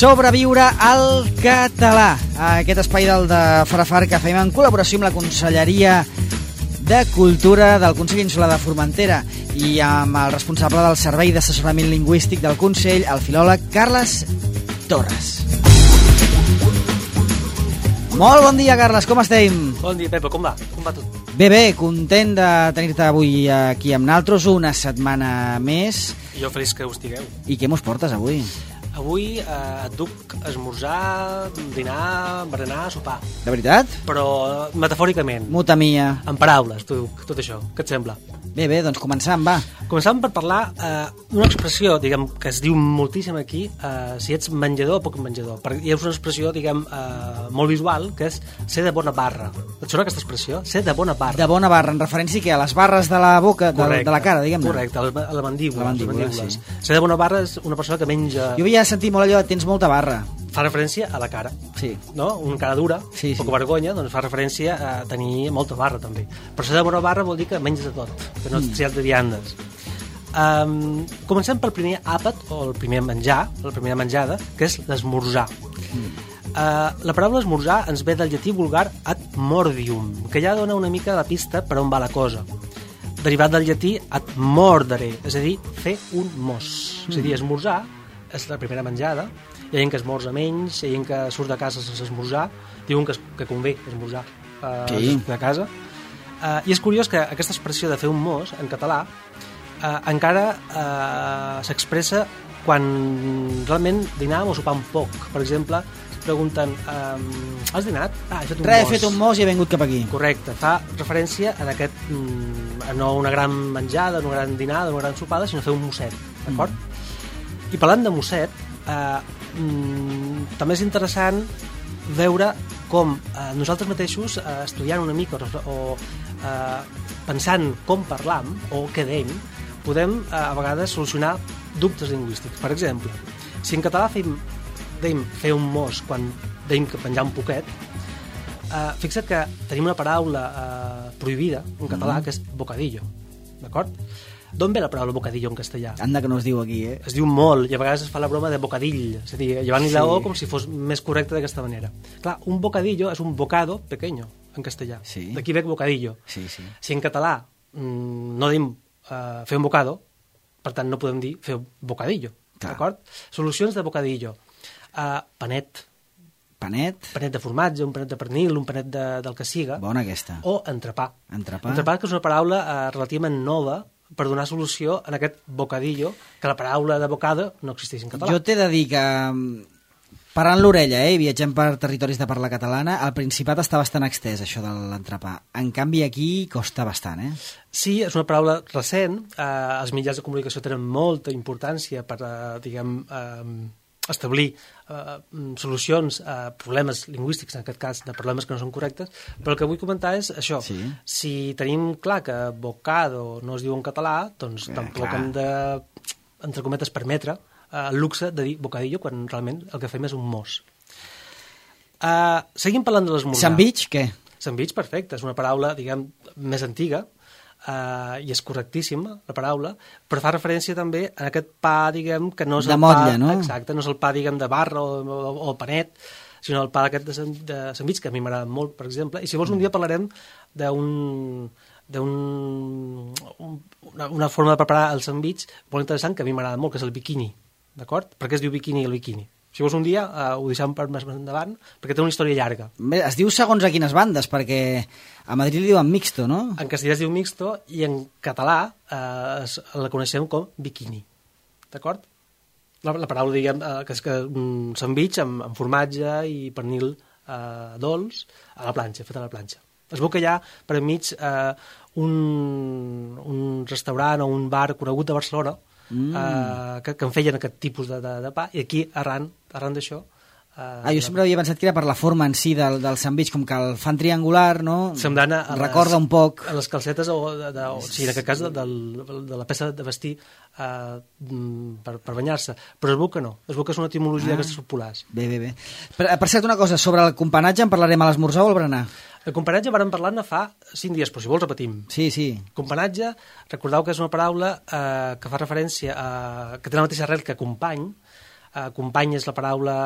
Sobreviure al català. Aquest espai del de Farafar que fem en col·laboració amb la Conselleria de Cultura del Consell Insular de Formentera i amb el responsable del Servei d'Assessorament Lingüístic del Consell, el filòleg Carles Torres. Molt bon dia, Carles, com estem? Bon dia, Pepa, com va? Com va tot? Bé, content de tenir-te avui aquí amb naltros, una setmana més. Jo feliç que ho estigueu. I què mos portes avui? Avui et duc esmorzar, dinar, berenar, sopar. De veritat? Però metafòricament. Muta mia. En paraules, tot això. Què et sembla? Bé, doncs començam, va. Començàvem per parlar d'una expressió, diguem, que es diu moltíssim aquí, si ets menjador o poc menjador. Hi ha una expressió, diguem, molt visual, que és ser de bona barra. Et sona aquesta expressió? Ser de bona barra. De bona barra, en referència que a les barres de la boca, de la cara, diguem-ne. Correcte, a la mandíbula. Sí. Ser de bona barra és una persona que menja... Jo havia sentit molt allò de tens molta barra. Fa referència a la cara. Sí. No? Una cara dura, sí. Poca vergonya, doncs fa referència a tenir molta barra, també. Però ser de bona barra vol dir que menges de tot, que no ets triat de viandes. Comencem pel primer àpat, o el primer menjar, la primera menjada, que és l'esmorzar. La paraula esmorzar ens ve del llatí vulgar ad mordium, que ja dona una mica la pista per on va la cosa. Derivat del llatí ad mordere, és a dir, fer un mos. És a dir, esmorzar és la primera menjada. Hi ha gent que esmorza menys, hi ha gent que surt de casa sense esmorzar, diuen que convé esmorzar de casa. I és curiós que aquesta expressió de fer un mos, en català, encara s'expressa quan realment dinàvem o sopàvem poc. Per exemple, pregunten, has dinat? He fet un mos. He fet un mos i he vengut cap aquí. Correcte, fa referència a aquest, no una gran menjada, una gran dinada, una gran sopada, sinó fer un mosset, d'acord? I parlant de mosset, també és interessant veure com nosaltres mateixos, estudiant una mica o pensant com parlam o què deim, podem a vegades solucionar dubtes lingüístics. Per exemple, si en català deim fer un mos quan deim que penjar un poquet, fixa't que tenim una paraula prohibida en català que és bocadillo, d'acord? D'on ve la paraula bocadillo en castellà? Anda que no es diu aquí, Es diu molt, i a vegades es fa la broma de bocadill, és a dir, llevant-li la O com si fos més correcte d'aquesta manera. Clar, un bocadillo és un bocado pequeño, en castellà. Sí. D'aquí ve bocadillo. Sí. Si en català no diem fer un bocado, per tant no podem dir fer un bocadillo, d'acord? Solucions de bocadillo. Panet. Panet de formatge, un panet de pernil, un panet del que siga. Bona aquesta. O entrepà. Entrepà, que és una paraula relativament nova, per donar solució en aquest bocadillo, que la paraula de bocado no existeix en català. Jo t'he de dir que, parant l'orella, viatgem per territoris de parla catalana, al Principat està bastant extès, això de l'entrepà. En canvi, aquí costa bastant, Sí, és una paraula recent. Els mitjans de comunicació tenen molta importància per, establir solucions a problemes lingüístics, en aquest cas de problemes que no són correctes, però el que vull comentar és això. Sí. Si tenim clar que bocado no es diu en català, doncs tampoc hem de, entre cometes, permetre el luxe de dir bocadillo quan realment el que fem és un mos. Seguim parlant de l'esmorzar. Sandwich, què? Sandwich, perfecte, és una paraula, diguem, més antiga, i és correctíssima la paraula, però fa referència també a aquest pa, diguem, que no és de motlla, no? Exacte, no és el pa, diguem, de barra o panet, sinó el pa aquest de sandwich, que a mi m'agrada molt, per exemple, i si vols un dia parlarem una forma de preparar el sandwich molt interessant que a mi m'agrada molt, que és el bikini, d'acord? Per què es diu bikini el bikini? Si vols un dia, ho deixem per més endavant, perquè té una història llarga. Bé, es diu segons a quines bandes, perquè a Madrid li diuen mixto, no? En castellà es diu mixto i en català la coneixem com bikini, d'acord? La paraula, diguem, que és un sandwich amb formatge i pernil dolç a la planxa, fet a la planxa. Es veu que hi ha per enmig un restaurant o un bar conegut a Barcelona que en feien aquest tipus de pa, i aquí, arran d'això... jo sempre havia pensat que era per la forma en si del sandwich, com que el fan triangular, no? Semblant recorda un poc... A les calcetes, sí, en aquest cas, de la peça de vestir per banyar-se. Però es veu que no, es veu que és una etimologia d'aquestes populars. Bé. Per cert, una cosa, sobre el companatge en parlarem a l'esmorzar o al berenar? El companatge vàrem parlar-ne fa 5 dies, però si vols repetim. Sí. Companatge, recordeu que és una paraula que fa referència a... que té la mateixa arrel que company, Company és la paraula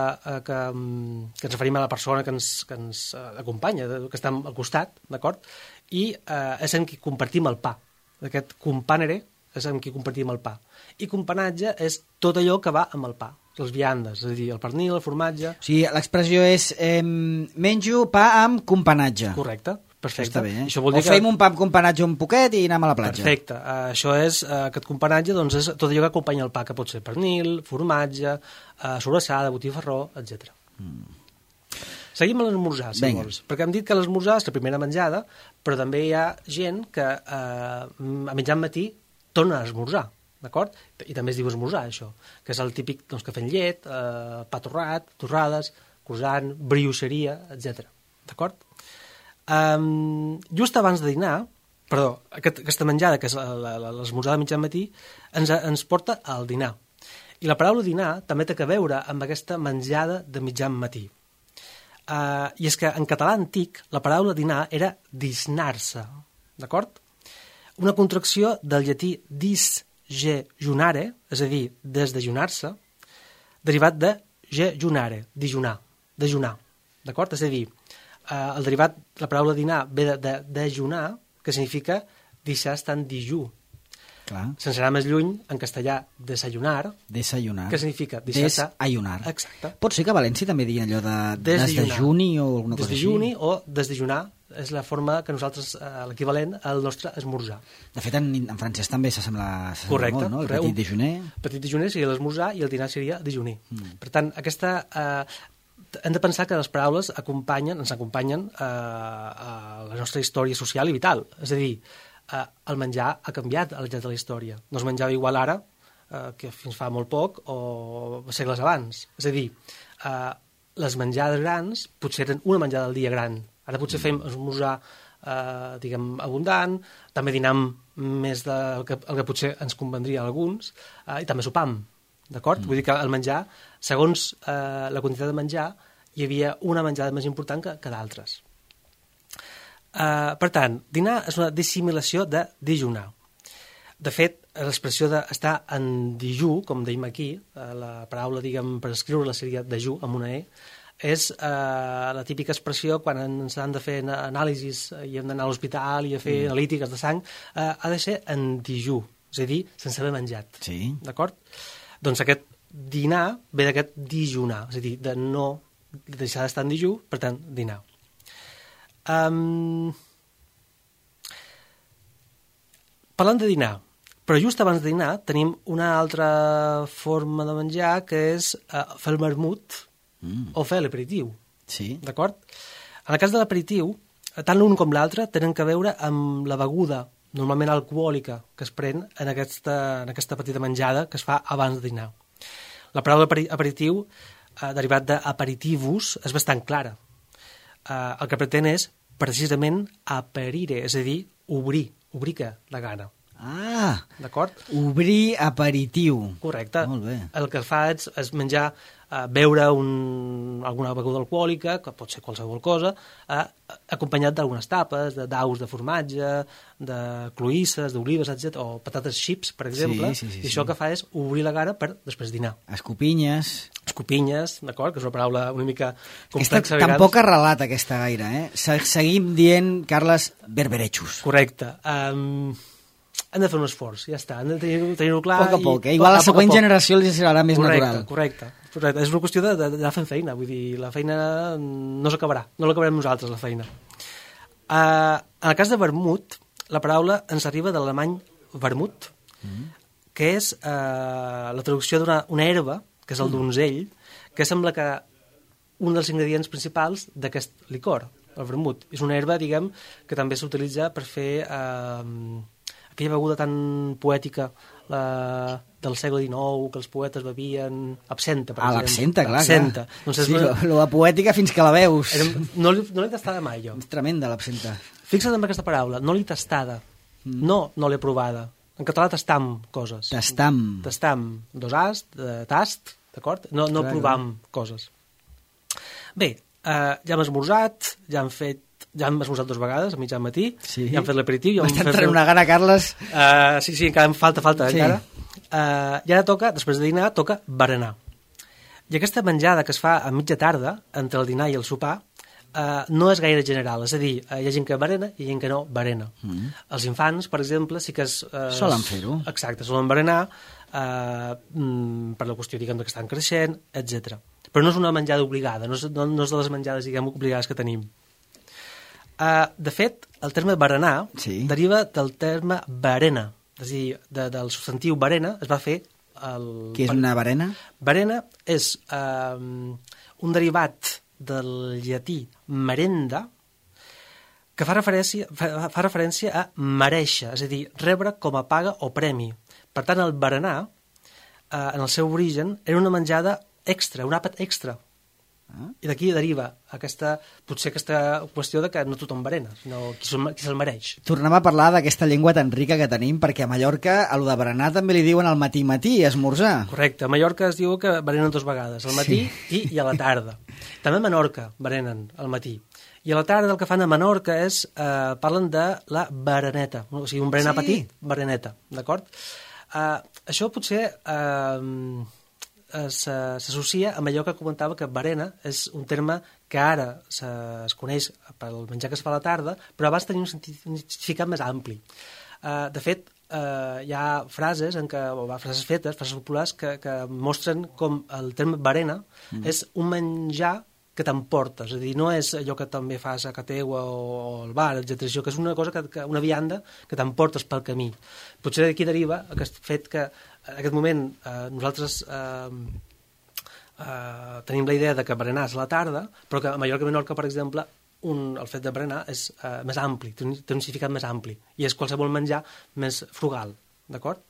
que ens referim a la persona que ens acompanya, que està al costat, d'acord? I és amb qui compartim el pa. Aquest companere és amb qui compartim el pa. I companatge és tot allò que va amb el pa, les viandes, és a dir, el pernil, el formatge... O sigui, l'expressió és menjo pa amb companatge. Correcte. Perfecte. Està bé, eh? Això vol dir fem un pa amb companatge un poquet i anem a la platja. Perfecte. Això és, aquest companatge, doncs, és tot allò que acompanya el pa, que pot ser pernil, formatge, sobrassada, botifarró, etc. Seguim a l'esmorzar, si vols. Perquè hem dit que l'esmorzar és la primera menjada, però també hi ha gent que a mitjan matí torna a esmorzar, d'acord? I també es diu esmorzar, això, que és el típic doncs, cafè amb llet, pa torrat, torrades, croissant, brioixeria, etc. D'acord? Just abans de dinar, perdó, aquesta menjada, que és l'esmorzar de mitjan matí, ens porta al dinar. I la paraula dinar també té a veure amb aquesta menjada de mitjan matí. I és que en català antic la paraula dinar era disnar-se, d'acord? Una contracció del llatí disjunare, és a dir, desdejunar-se, derivat de jejunare, dijunar, dejunar, d'acord? És a dir, el derivat, la paraula dinar ve de dejunar, que significa deixar estar en dijú. Clar. Sense anar més lluny, en castellà, desayunar. Desayunar. Que significa deixar estar... Desayunar. Exacte. Pot ser que a València també diguin allò de desdejuni o alguna cosa així? Desdejuni o desdejunar és la forma que nosaltres, l'equivalent al nostre esmorzar. De fet, en francès també s'assembla molt, no? El petit déjeuner. Petit déjeuner seria l'esmorzar i el dinar seria dejuner. Per tant, hem de pensar que les paraules ens acompanyen a la nostra història social i vital. És a dir, el menjar ha canviat al llarg de la història. No es menjava igual ara que fins fa molt poc o segles abans. És a dir, les menjades grans potser eren una menjada al dia gran. Ara potser fem esmorzar diguem, abundant, també dinam més del que potser ens convendria a alguns, i també sopam, d'acord? Vull dir que el menjar, segons la quantitat de menjar, hi havia una menjada més important que d'altres. Per tant, dinar és una dissimilació de dijunar. De fet, l'expressió d'estar en dijú, com dèiem aquí, la paraula, diguem, per escriure-la seria dejú, amb una E, és la típica expressió quan ens han de fer anàlisis i hem d'anar a l'hospital i a fer analítiques de sang, ha de ser en dijú, és a dir, sense haver menjat. Sí. D'acord? Doncs aquest dinar ve d'aquest dijunar, és a dir, de no deixar d'estar en dijú, per tant, dinar. Parlant de dinar, però just abans de dinar tenim una altra forma de menjar que és fer el vermut o fer l'aperitiu. Sí. D'acord? En el cas de l'aperitiu, tant l'un com l'altre tenen a veure amb la beguda normalment alcohòlica que es pren en aquesta petita menjada que es fa abans de dinar. La paraula aperitiu, derivat d'aperitivus, és bastant clara. El que pretén és precisament aperire, és a dir, obrir que la gana. Ah, d'acord? Obrir aperitiu. Correcte. Molt bé. El que fa és menjar, beure alguna beguda alcohòlica, que pot ser qualsevol cosa, acompanyat d'algunes tapes, de daus de formatge, de cloïsses, d'olives, etc., o patates xips, per exemple, sí. I això que fa és obrir la gana per després dinar. Escopinyes, d'acord, que és una paraula una mica complexa. Tampoc arrelat aquesta gaire, eh? Seguim dient, Carles, berberechos. Correcte. Hem de fer un esforç, ja està, hem de tenir-ho clar. A poc, igual a la següent generació els serà més natural. Correcte. És una qüestió d'anar fent feina, vull dir, la feina no s'acabarà, no l'acabarem nosaltres, la feina. En el cas de vermut, la paraula ens arriba de l'alemany vermut, que és la traducció d'una herba, que és el donzell, que sembla que un dels ingredients principals d'aquest licor, el vermut. És una herba, diguem, que també s'utilitza per fer aquella beguda tan poètica del segle XIX, que els poetes bevien, absenta, per exemple. L'absenta, clar. Absenta. Doncs sí, la poètica fins que la veus. No l'he tastada mai, jo. És tremenda, l'absenta. Fixa't en aquesta paraula, no l'he tastada, no l'he provada. En català tastam coses. Tastam. Tastam, dos as, de tast, d'acord? No provam coses. Bé, ja hem esmorzat, ja hem esmorzat 2 vegades, a mitjan matí, sí. Ja hem fet l'aperitiu. M'està entrant una gana, Carles. Sí, encara em falta, sí. encara. I ara després de dinar, toca berenar. I aquesta menjada que es fa a mitja tarda, entre el dinar i el sopar, no és gaire general, és a dir, hi ha gent que berena i gent que no berena. Els infants, per exemple, sí que solen fer-ho. Exacte, solen berenar per la qüestió, diguem, que estan creixent, etc. Però no és una menjada obligada, no és de les menjades, diguem, obligades que tenim. De fet, el terme berenar deriva del terme berena, és a dir, del substantiu berena es va fer... Què és una berena? Berena és un derivat del llatí merenda, que fa referència a merèixer, és a dir, rebre com a paga o premi. Per tant, el berenar, en el seu origen, era una menjada extra, un àpat extra. I d'aquí deriva potser aquesta qüestió de que no tothom berena, sinó qui se'l mereix. Tornem a parlar d'aquesta llengua tan rica que tenim, perquè a Mallorca a lo de berenar també li diuen al matí, esmorzar. Correcte, a Mallorca es diu que berenen 2 vegades, al matí i a la tarda. També a Menorca berenen al matí. I a la tarda el que fan a Menorca és, parlen de la bereneta, o sigui, un berenar petit, bereneta, d'acord? Això potser... s'associa amb allò que comentava, que berena és un terme que ara es coneix pel menjar que es fa a la tarda, però abans tenia un significat més ampli. De fet, hi ha frases fetes, frases populars, que mostren com el terme berena és un menjar que t'emportes, és a dir, no és allò que també fas a casa teua o al bar, etc. Això que és una cosa, una vianda que t'emportes pel camí. Potser d'aquí deriva aquest fet que en aquest moment nosaltres tenim la idea de que berenar és a la tarda, però que a Mallorca i Menorca, per exemple, el fet de berenar és més ampli, té un significat més ampli, i és qualsevol menjar més frugal, d'acord?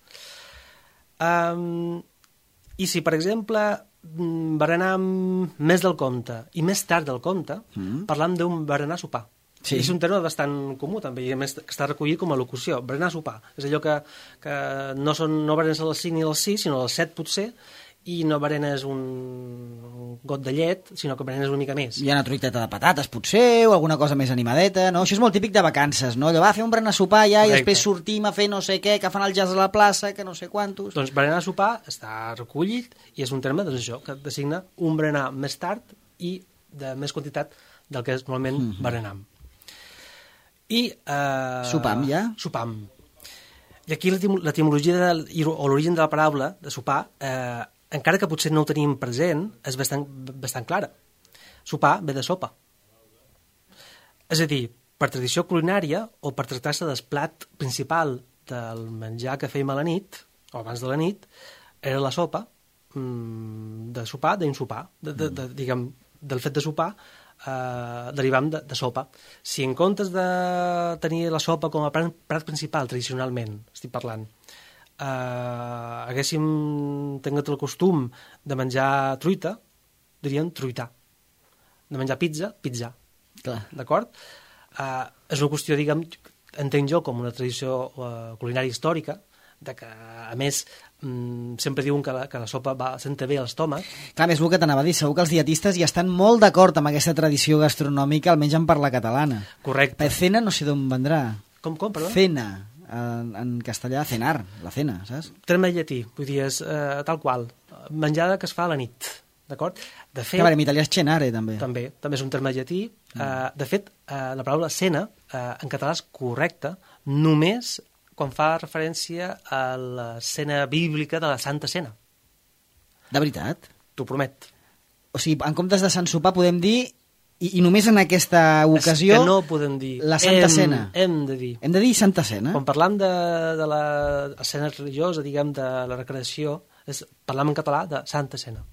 I si, per exemple, berenar més del compte i més tard del compte, parlam d'un berenar sopar. Sí. És un terme bastant comú, també, i a més que està recollit com a locució. Berenar sopar. És allò que no berenes a les 5 ni a les 6, sinó a les 7 potser, i no berenes un got de llet, sinó que berenes una mica més. Hi ha una truiteta de patates, potser, o alguna cosa més animadeta, no? Això és molt típic de vacances, no? Allò, fer un berenar sopar ja, i després sortim a fer no sé què, que fan el jazz a la plaça, que no sé quantos... Doncs berenar sopar està recollit, i és un terme, doncs això, que designa un berenar més tard i de més quantitat del que és normalment berenam. I... Sopam, ja? Sopam. I aquí l'etimologia o l'origen de la paraula de sopar, encara que potser no ho tenim present, és bastant clara. Sopar ve de sopa. És a dir, per tradició culinària o per tractar-se del plat principal del menjar que fèiem a la nit, o abans de la nit, era la sopa de sopar, d'insopar, diguem, del fet de sopar, derivant de sopa. Si en comptes de tenir la sopa com a plat principal, tradicionalment, estic parlant, haguéssim tingut el costum de menjar truita, diríem truitar. De menjar pizza, pizzar. D'acord? És una qüestió, diguem, entenc jo com una tradició culinària històrica, de que, a més, sempre diuen que la sopa senta bé a l'estómac. Clar, és el que t'anava a dir, segur que els dietistes hi estan molt d'acord amb aquesta tradició gastronòmica, almenys en parla catalana. Correcte. Cena no sé d'on vendrà. Com, perdó? Cena, en castellà, cenar, la cena, saps? Terme llatí, vull dir, és tal qual, menjada que es fa a la nit, d'acord? De fet... En italià és cenare, també. També és un terme llatí. De fet, la paraula cena, en català és correcta, només quan fa referència a la cena bíblica de la Santa Cena. De veritat? T'ho promet. O sigui, en comptes de Sant Sopar podem dir, i només en aquesta ocasió... És que no podem dir. La Santa Cena. Hem de dir. Hem de dir Santa Cena? Quan parlam de la cena religiosa, diguem, de la recreació, parlam en català de Santa Cena.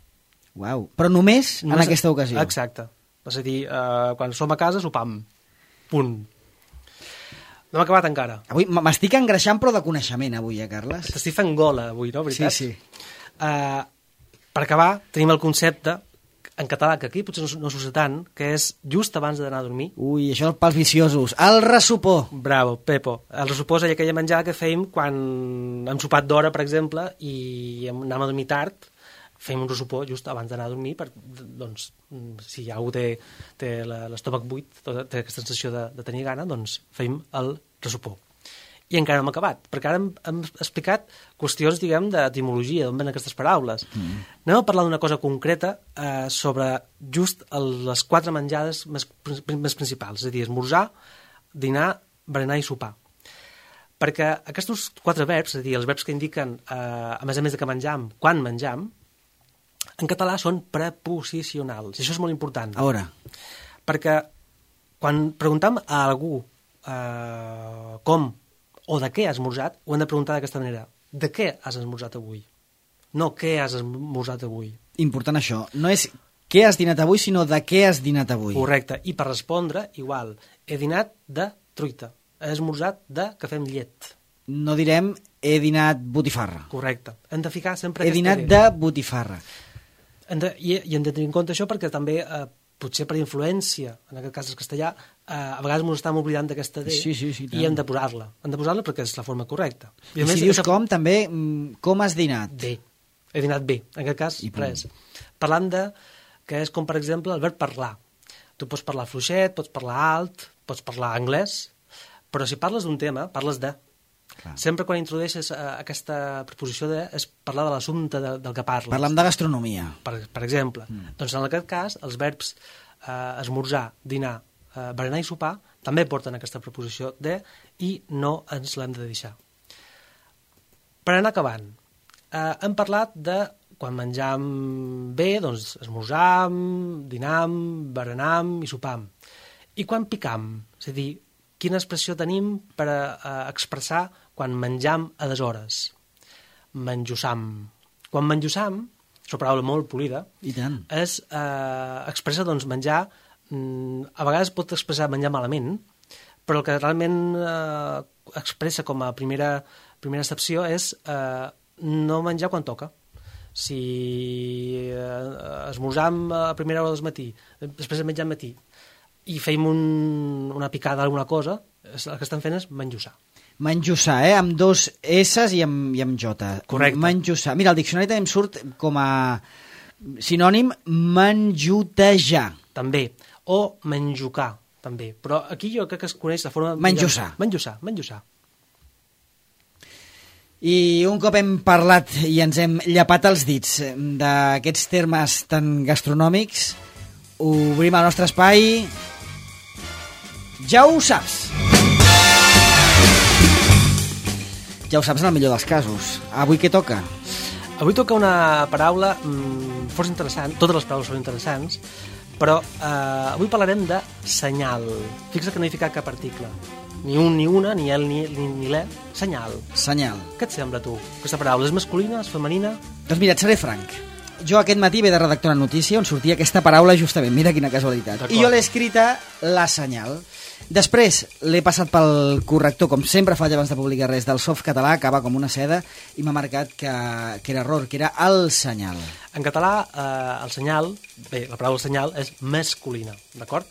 Uau, però només en aquesta ocasió. Exacte. És a dir, quan som a casa, sopam. Punt. No hem acabat encara. Avui m'estic engreixant, però de coneixement, avui, Carles? T'estic fent gola, avui, no? Veritat? Sí. Per acabar, tenim el concepte, en català, que aquí potser no s'usa tant, que és just abans d'anar a dormir. Ui, això pels viciosos. El ressopó. Bravo, Pepo. El ressopó és aquella menjada que fèiem quan hem sopat d'hora, per exemple, i anàvem a dormir tard, fem un ressopó just abans d'anar a dormir, doncs, si algú té l'estómac buit, té aquesta sensació de tenir gana, doncs fem el ressopó. I encara no hem acabat, perquè ara hem explicat qüestions, diguem, d'etimologia, d'on ven aquestes paraules. Anem a parlar d'una cosa concreta sobre just les 4 menjades més principals, és a dir, esmorzar, dinar, berenar i sopar. Perquè aquests 4 verbs, és a dir, els verbs que indiquen, a més de que menjam, quan menjam, en català són preposicionals, i això és molt important. A veure. Perquè quan preguntem a algú com o de què has esmorzat, ho hem de preguntar d'aquesta manera. De què has esmorzat avui? No què has esmorzat avui. Important això. No és què has dinat avui, sinó de què has dinat avui. Correcte. I per respondre, igual. He dinat de truita. He esmorzat de cafè amb llet. No direm he dinat botifarra. Correcte. Hem de ficar sempre he dinat de botifarra. I hem de tenir en compte això perquè també, potser per influència, en aquest cas el castellà, a vegades ens estem oblidant d'aquesta D i hem de posar-la. Hem de posar-la perquè és la forma correcta. I si dius com, també, com has dinat? Bé. He dinat bé. En aquest cas, res. Parlant de, que és com, per exemple, el verb parlar. Tu pots parlar fluixet, pots parlar alt, pots parlar anglès, però si parles d'un tema, parles de. Clar. Sempre quan introdueixes aquesta preposició de és parlar de l'assumpte del que parles. Parlem de gastronomia. Per exemple. Doncs en aquest cas, els verbs esmorzar, dinar, berenar i sopar també porten aquesta preposició de i no ens l'hem de deixar. Per anar acabant, hem parlat de quan menjam bé, doncs esmorzam, dinam, berenam i sopam. I quan picam, és a dir, quina expressió tenim per expressar quan menjam a deshores? Menjussam. Quan menjussam, és una paraula molt polida, i tant. Expressa doncs, menjar, a vegades pot expressar menjar malament, però el que realment expressa com a primera excepció és no menjar quan toca. Si esmorzam a primera hora del matí, després de menjar al matí, i feim una picada d'alguna cosa, el que estan fent és menjussar. Menjussar, amb 2 S i amb J. Correcte. Menjussar. Mira, el diccionari també em surt com a sinònim menjutejar. També. O menjucar, també. Però aquí jo crec que es coneix la forma... Menjussar. Menjussar. I un cop hem parlat i ens hem llapat els dits d'aquests termes tan gastronòmics, obrim el nostre espai. Ja ho saps. Ja ho saps en el millor dels casos. Avui què toca? Avui toca una paraula força interessant. Totes les paraules són interessants, però avui parlarem de senyal. Fixa que no he ficat cap article. Ni un, ni una, ni el, ni l'e. Senyal. Senyal. Què et sembla, tu? Aquesta paraula és masculina, és femenina? Doncs mira, et seré franc. Jo aquest matí ve de redactar una notícia on sortia aquesta paraula justament, mira quina casualitat. I jo l'he escrita la senyal. Després l'he passat pel corrector, com sempre faig abans de publicar res, del Softcatalà, que va com una seda, i m'ha marcat que era error, que era el senyal. En català, el senyal, bé, la paraula senyal és masculina, d'acord?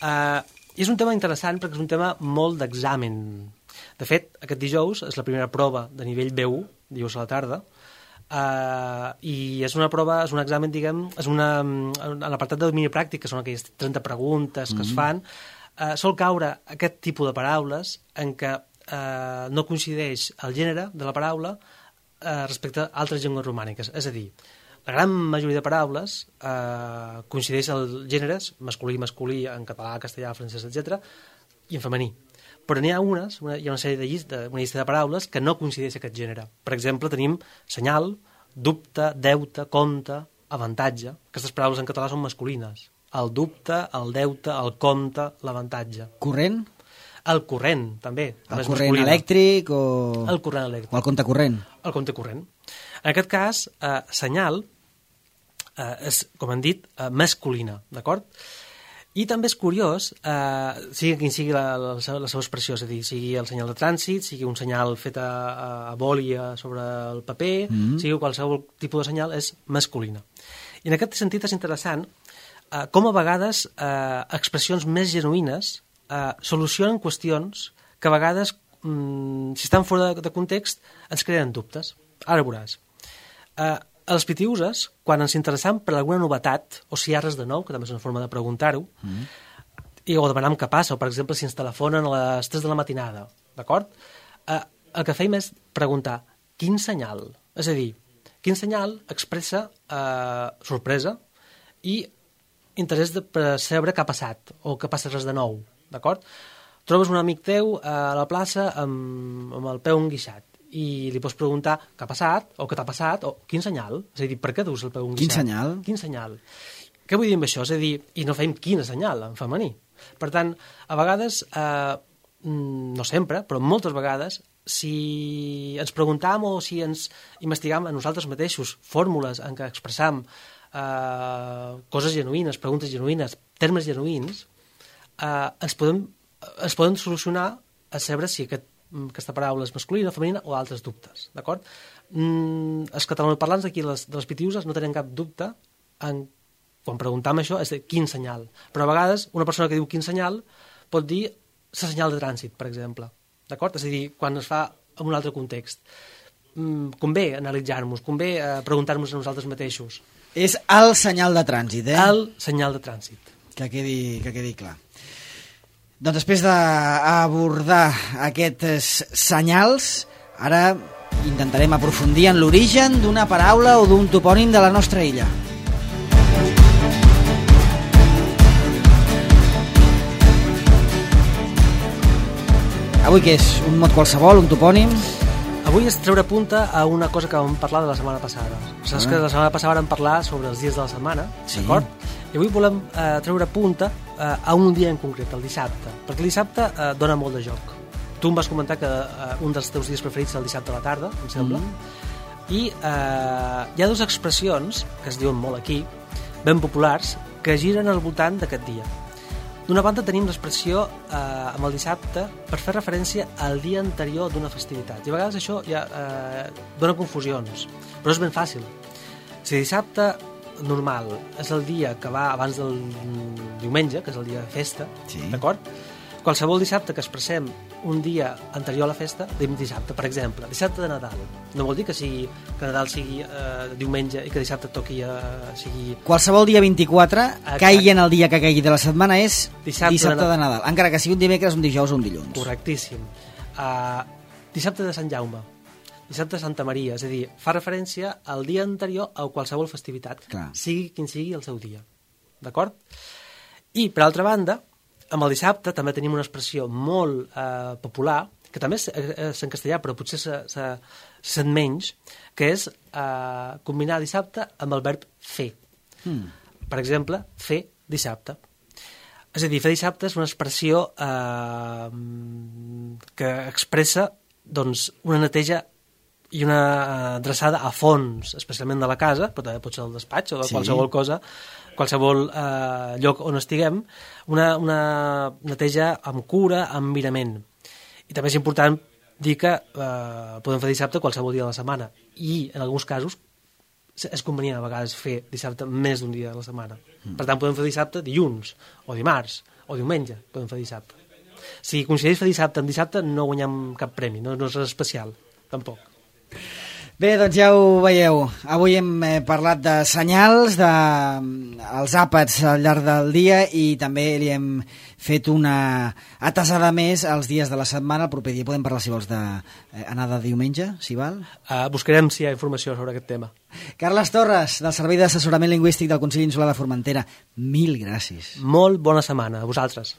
I és un tema interessant perquè és un tema molt d'examen. De fet, aquest dijous és la primera prova de nivell B1, dijous a la tarda, i és una prova, és un examen, diguem, és en l'apartat de domini pràctic, que són aquelles 30 preguntes que es fan, sol caure aquest tipus de paraules en què no coincideix el gènere de la paraula respecte a altres llengües romàniques. És a dir, la gran majoria de paraules coincideix els gèneres masculí, en català, castellà, francès, etc., i en femení. Però n'hi ha hi ha una sèrie una llista de paraules que no coincideix aquest gènere. Per exemple, tenim senyal, dubte, deute, compte, avantatge. Aquestes paraules en català són masculines. El dubte, el deute, el compte, l'avantatge. Corrent? El corrent, també. El corrent elèctric o... El corrent elèctric. O el compte corrent? El compte corrent. En aquest cas, senyal és, com hem dit, masculina, d'acord? I també és curiós, sigui quin sigui la seva expressió, és a dir, sigui el senyal de trànsit, sigui un senyal fet a boli sobre el paper, sigui qualsevol tipus de senyal, és masculina. I en aquest sentit és interessant com a vegades expressions més genuïnes solucionen qüestions que a vegades, si estan fora de context, ens creen dubtes. Ara veuràs. Els pitiuses, quan ens interessam per alguna novetat, o si hi ha res de nou, que també és una forma de preguntar-ho, o demanar què passa, o per exemple si ens telefonen a les 3 de la matinada, d'acord? el que fèiem és preguntar quin senyal, és a dir, quin senyal expressa sorpresa i interès per saber què ha passat o què passa res de nou, d'acord? Trobes un amic teu a la plaça amb el peu enguixat i li pots preguntar què ha passat o què t'ha passat o quin senyal, és a dir, per què dus el peu enguixat? Quin senyal? Quin senyal? Què vull dir amb això? És a dir, i no fem quina senyal en femení. Per tant, a vegades, no sempre, però moltes vegades, si ens preguntam o si ens investigam a nosaltres mateixos fórmules en què expressam coses genuïnes, preguntes genuïnes, termes genuïns, ens poden solucionar a saber si aquesta paraula és masculina, femenina o altres dubtes, d'acord? Els catalanoparlants d'aquí, de les Pitiuses, no tenen cap dubte quan preguntam això, és de quin senyal. Però a vegades una persona que diu quin senyal pot dir la senyal de trànsit, per exemple, d'acord? És a dir, quan es fa en un altre context. Convé analitzar-nos, convé preguntar-nos a nosaltres mateixos. És el senyal de trànsit, eh? El senyal de trànsit. Que quedi clar. Doncs després d'abordar aquests senyals, ara intentarem aprofundir en l'origen d'una paraula o d'un topònim de la nostra illa. Avui què és? Un mot qualsevol, un topònim? Avui és treure punta a una cosa que vam parlar de la setmana passada. Saps que la setmana passada vam parlar sobre els dies de la setmana, d'acord? I avui volem treure punta a un dia en concret, el dissabte, perquè el dissabte dona molt de joc. Tu em vas comentar que un dels teus dies preferits és el dissabte a la tarda, em sembla, i hi ha dues expressions que es diuen molt aquí, ben populars, que giren al voltant d'aquest dia. D'una banda tenim l'expressió amb el dissabte per fer referència al dia anterior d'una festivitat. I a vegades això ja dona confusions, però és ben fàcil. Si dissabte normal és el dia que va abans del diumenge, que és el dia de festa, d'acord? Qualsevol dissabte que expressem un dia anterior a la festa, diem dissabte, per exemple, dissabte de Nadal. No vol dir que Nadal sigui diumenge i que dissabte toqui sigui... Qualsevol dia 24, caigui en el dia que caigui de la setmana, és dissabte de Nadal. Encara que sigui un dimecres, un dijous o un dilluns. Correctíssim. Dissabte de Sant Jaume, dissabte de Santa Maria, és a dir, fa referència al dia anterior a qualsevol festivitat, sigui quin sigui el seu dia. D'acord? I, per altra banda, amb el dissabte també tenim una expressió molt popular, que també és en castellà, però potser se sent menys, que és combinar dissabte amb el verb fer. Per exemple, fer dissabte. És a dir, fer dissabte és una expressió que expressa una neteja i una adreçada a fons, especialment de la casa, però també pot ser el despatx o de qualsevol cosa, qualsevol lloc on estiguem, una neteja amb cura, amb mirament. I també és important dir que podem fer dissabte qualsevol dia de la setmana i, en alguns casos, és convenient a vegades fer dissabte més d'un dia de la setmana. Per tant, podem fer dissabte dilluns, o dimarts, o diumenge, podem fer dissabte. Si coincideix fer dissabte amb dissabte, no guanyem cap premi, no és res especial, tampoc. Bé, doncs ja ho veieu. Avui hem parlat de senyals, dels àpats al llarg del dia i també li hem fet una atasada més als dies de la setmana. El proper dia podem parlar, si vols, d'anar de diumenge, si val? Buscarem si hi ha informació sobre aquest tema. Carles Torres, del Servei d'Assessorament Lingüístic del Consell Insular de Formentera. Mil gràcies. Molt bona setmana. A vosaltres.